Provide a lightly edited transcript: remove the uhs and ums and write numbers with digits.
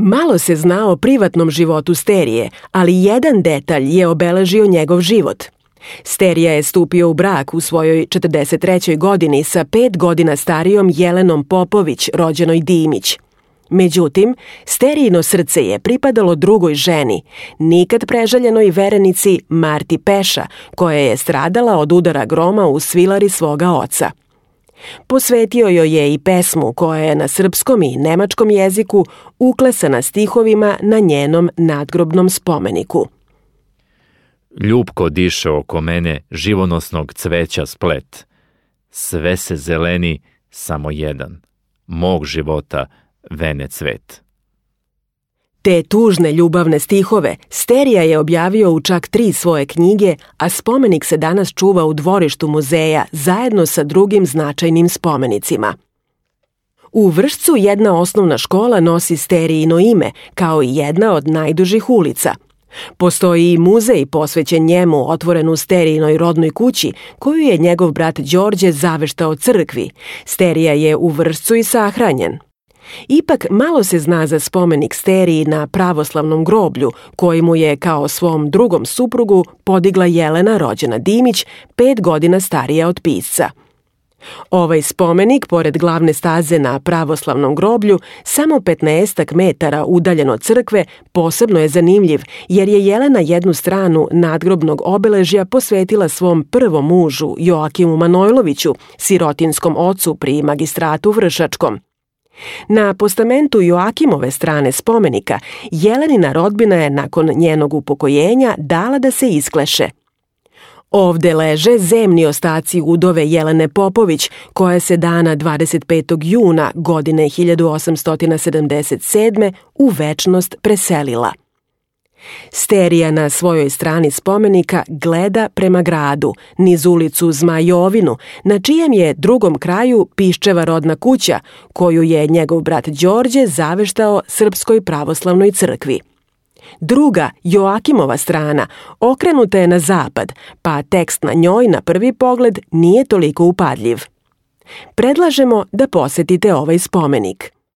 Malo se zna o privatnom životu Sterije, ali jedan detalj je obeležio njegov život. Sterija je stupio u brak u svojoj 43. godini sa 5 godina starijom Jelenom Popović, rođenoj Dimić. Međutim, Sterijino srce je pripadalo drugoj ženi, nikad prežaljenoj verenici Marti Peša, koja je stradala od udara groma u svilari svoga oca. Posvetio joj je i pesmu koja je na srpskom i nemačkom jeziku uklesana stihovima na njenom nadgrobnom spomeniku. Ljubko diše oko mene živonosnog cveća splet. Sve se zeleni, samo jedan. Mog života vene cvet. Te tužne ljubavne stihove Sterija je objavio u čak 3 svoje knjige, a spomenik se danas čuva u dvorištu muzeja zajedno sa drugim značajnim spomenicima. U Vršcu jedna osnovna škola nosi Sterijino ime, kao i jedna od najdužih ulica. Postoji i muzej posvećen njemu otvoren u Sterijinoj rodnoj kući, koju je njegov brat Đorđe zaveštao crkvi. Sterija je u Vršcu i sahranjen. Ipak malo se zna za spomenik Steriji na pravoslavnom groblju, koji mu je kao svom drugom suprugu podigla Jelena, rođena Dimić, 5 godina starija od pisca. Ovaj spomenik, pored glavne staze na pravoslavnom groblju, samo 15 metara udaljen od crkve, posebno je zanimljiv, jer je Jelena jednu stranu nadgrobnog obeležja posvetila svom prvom mužu, Joakimu Manojloviću, sirotinskom ocu pri magistratu Vršačkom. Na postamentu Joakimove strane spomenika, Jelenina rodbina je nakon njenog upokojenja dala da se iskleše. Ovde leže zemni ostaci udove Jelene Popović, koja se dana 25. juna godine 1877. u večnost preselila. Sterija na svojoj strani spomenika gleda prema gradu, niz ulicu Zmajovinu, na čijem je drugom kraju Piščeva rodna kuća, koju je njegov brat Đorđe zaveštao Srpskoj pravoslavnoj crkvi. Druga, Joakimova strana, okrenuta je na zapad, pa tekst na njoj na prvi pogled nije toliko upadljiv. Predlažemo da posetite ovaj spomenik.